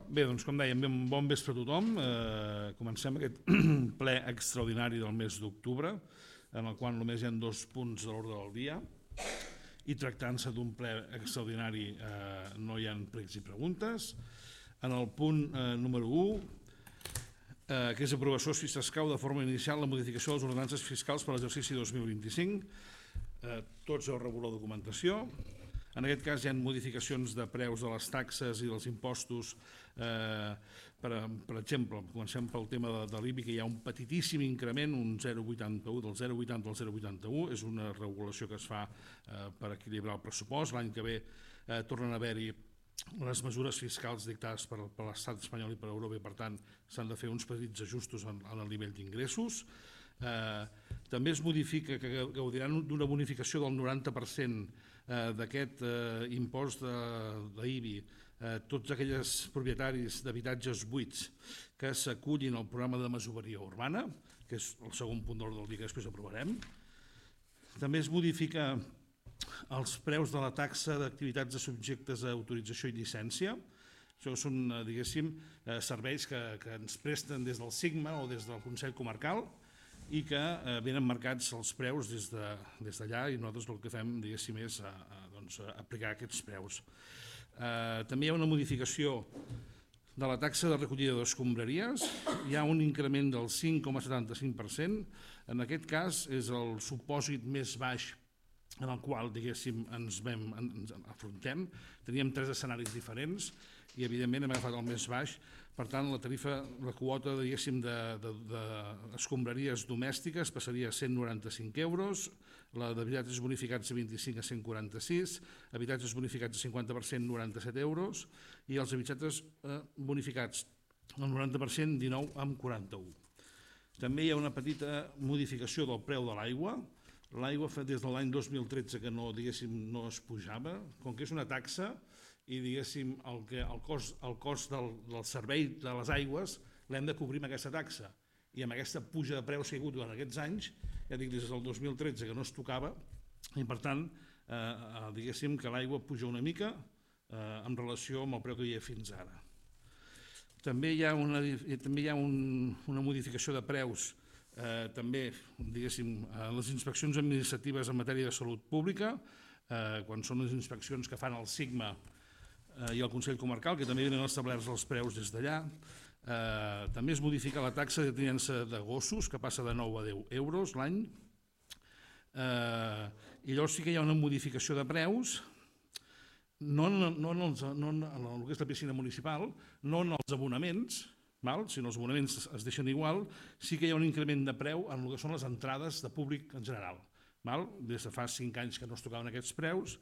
Bé, doncs com dèiem, bon vespre a tothom. Comencem aquest ple extraordinari del mes d'octubre, en el qual només hi ha 2 punts de l'ordre del dia, i tractant-se d'un ple extraordinari no hi ha pregs i preguntes. En el punt número 1, que és aprovació si s'escau de forma inicial la modificació de les ordenances fiscals per a l'exercici 2025. Tots heu rebut la documentació. En aquest cas hi ha modificacions de preus de les taxes i dels impostos. Per exemple, comencem pel tema de l'IBI, que hi ha un petitíssim increment, un 0,81, del 0,80 al 0,81. És una regulació que es fa per equilibrar el pressupost. L'any que ve tornen a haver-hi les mesures fiscals dictades per l'estat espanyol i per Europa, i per tant s'han de fer uns petits ajustos en el nivell d'ingressos. També es modifica que gaudiran d'una bonificació del 90% d'aquest impost d'IBI tots aquells propietaris d'habitatges buits que s'acullin al programa de masoveria urbana, que és el segon punt d'ordre del dia que després aprovarem. També es modifica els preus de la taxa d'activitats de subjectes a autorització i llicència. Això són, diguéssim, serveis que ens presten des del SIGMA o des del Consell Comarcal i que venen marcats els preus des d'allà, i nosaltres el que fem, diguéssim, és aplicar aquests preus. També hi ha una modificació de la taxa de recollida d'escombraries. Hi ha un increment del 5,75%. En aquest cas és el supòsit més baix en el qual, diguéssim, ens afrontem. Teníem 3 escenaris diferents i, evidentment, hem agafat el més baix. Per tant, la tarifa, la quota, diguéssim, d'escombraries domèstiques passaria a 195 euros, la d'habitatges bonificats de 25 a 146, habitatges bonificats de 50% 97 euros i els habitatges bonificats al 90% 19,41. També hi ha una petita modificació del preu de l'aigua. L'aigua des de l'any 2013 que no es pujava, com que és una taxa i, diguéssim, el cost del servei de les aigües l'hem de cobrir amb aquesta taxa, i amb aquesta puja de preus que hi ha hagut durant aquests anys, ja dic, des del 2013 que no es tocava, i per tant, diguéssim que l'aigua puja una mica en relació amb el preu que hi ha fins ara. També hi ha una modificació de preus, també, diguéssim, les inspeccions administratives en matèria de salut pública, quan són les inspeccions que fan el SIGMA i el Consell Comarcal, que també venen establerts els preus des d'allà. També es modifica la taxa de tinença de gossos, que passa de 9 a 10 euros l'any. I llavors sí que hi ha una modificació de preus, no en el que és la piscina municipal, no en els abonaments, si els abonaments es deixen igual. Sí que hi ha un increment de preu en el que són les entrades de públic en general. Des de fa 5 anys que no es tocaven aquests preus,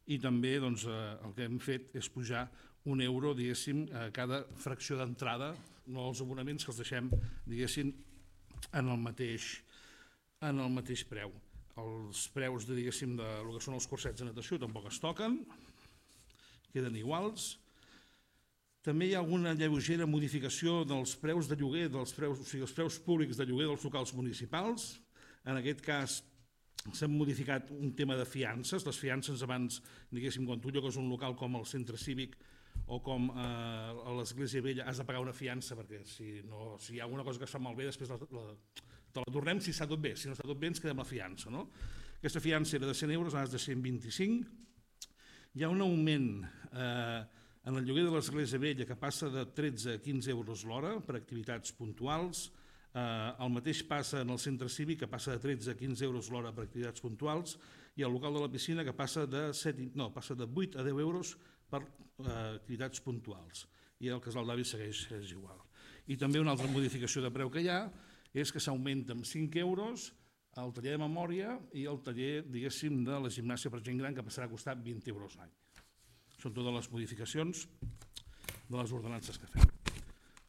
i també el que hem fet és pujar €1, diguéssim, a cada fracció d'entrada, no els abonaments, que els deixem, diguéssim, en el mateix preu. Els preus, diguéssim, del que són els cursets de natació tampoc es toquen, queden iguals. També hi ha alguna lleugera modificació dels preus de lloguer, o sigui, els preus públics de lloguer dels locals municipals. En aquest cas s'han modificat un tema de fiances. Les fiances abans, diguéssim, quan tu llogues un local com el centre cívic o com a l'Església Vella, has de pagar una fiança, perquè si hi ha alguna cosa que es fa malbé, després te la tornem si està tot bé. Si no està tot bé, ens quedem la fiança. Aquesta fiança era de 100 euros, ara és de 125. Hi ha un augment en el lloguer de l'Església Vella, que passa de 13 a 15 euros l'hora per activitats puntuals. El mateix passa en el centre cívic, que passa de 13 a 15 euros l'hora per activitats puntuals, i el local de la piscina, que passa de 8 a 10 euros per activitats puntuals. I el casal d'avis segueix igual. I també una altra modificació de preu que hi ha és que s'augmenta amb 5 euros el taller de memòria i el taller, diguéssim, de la gimnàsia per gent gran, que passarà a costar 20 euros l'any. Són totes les modificacions de les ordenances que fem.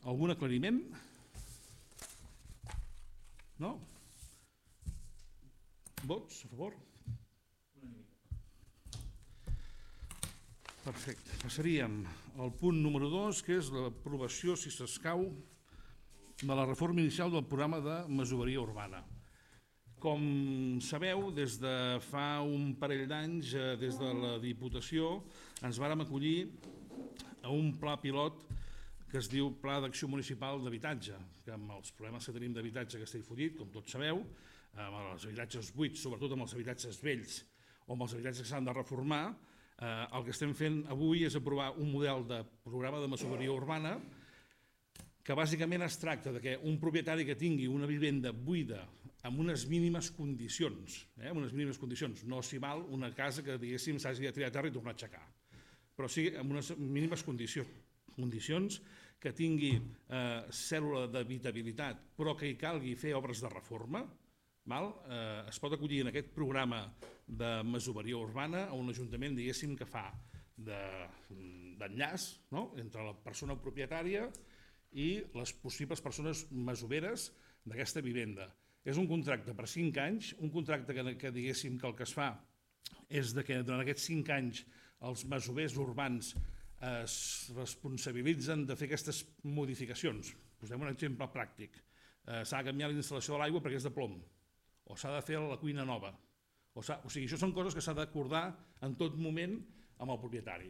Algun aclariment? No? Vots a favor? Perfecte. Passaríem al punt número 2, que és l'aprovació, si s'escau, de la reforma inicial del programa de masoveria urbana. Com sabeu, des de fa un parell d'anys, des de la Diputació, ens vàrem acollir a un pla pilot que es diu Pla d'Acció Municipal d'Habitatge, que amb els problemes que tenim d'habitatge que estic follit, com tots sabeu, amb els habitatges buits, sobretot amb els habitatges vells o amb els habitatges que s'han de reformar, el que estem fent avui és aprovar un model de programa de masoveria urbana que bàsicament es tracta de que un propietari que tingui una vivenda buida amb unes mínimes condicions, no s'hi val una casa que diguéssim s'hagi de tirar a terra i tornar a aixecar, però sí amb unes mínimes condicions que tingui cèl·lula d'habitabilitat però que hi calgui fer obres de reforma, es pot acollir en aquest programa de masoveria urbana a un ajuntament, diguéssim, que fa d'enllaç entre la persona propietària i les possibles persones masoveres d'aquesta vivenda. És un contracte per 5 anys, un contracte que diguéssim que el que es fa és que durant aquests 5 anys els masovers urbans es responsabilitzen de fer aquestes modificacions. Posem un exemple pràctic. S'ha de canviar la instal·lació de l'aigua perquè és de plom, o s'ha de fer la cuina nova. O sigui, això són coses que s'ha d'acordar en tot moment amb el propietari.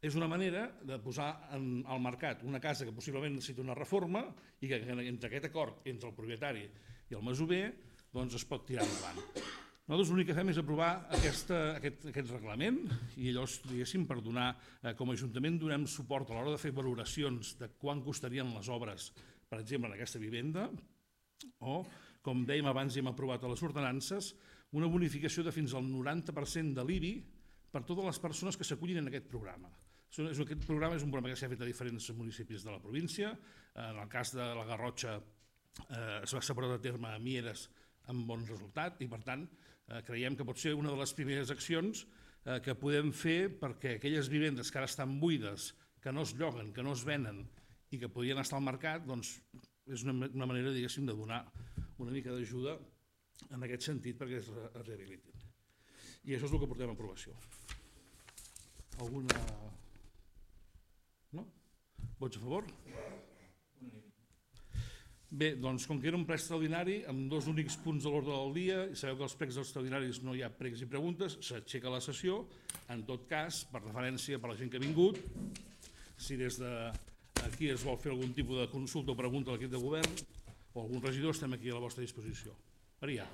És una manera de posar al mercat una casa que possiblement necessita una reforma i que entre aquest acord entre el propietari i el masover es pot tirar endavant. Nosaltres l'únic que fem és aprovar aquest reglament i llavors, diguéssim, per donar, com a Ajuntament, donem suport a l'hora de fer valoracions de quant costarien les obres, per exemple, en aquesta vivenda, o, com dèiem abans i hem aprovat a les ordenances, una bonificació de fins al 90% de l'IBI per totes les persones que s'acullin en aquest programa. Aquest programa és un programa que s'ha fet a diferents municipis de la província. En el cas de la Garrotxa s'ha portat a terme a Mieres amb bon resultat i, per tant, creiem que pot ser una de les primeres accions que podem fer perquè aquelles vivendes que ara estan buides, que no es lloguen, que no es venen i que podrien estar al mercat, doncs és una manera, diguéssim, de donar una mica d'ajuda en aquest sentit perquè es rehabilitin. I això és el que portem a aprovació. Alguna... No? Vots a favor? Bé, doncs com que era un ple extraordinari, amb 2 únics punts de l'ordre del dia, i sabeu que als plecs extraordinaris no hi ha pregs i preguntes, s'aixeca la sessió. En tot cas, per referència per la gent que ha vingut, si des d'aquí es vol fer algun tipus de consulta o pregunta a l'equip de govern o algun regidor, estem aquí a la vostra disposició. Maria.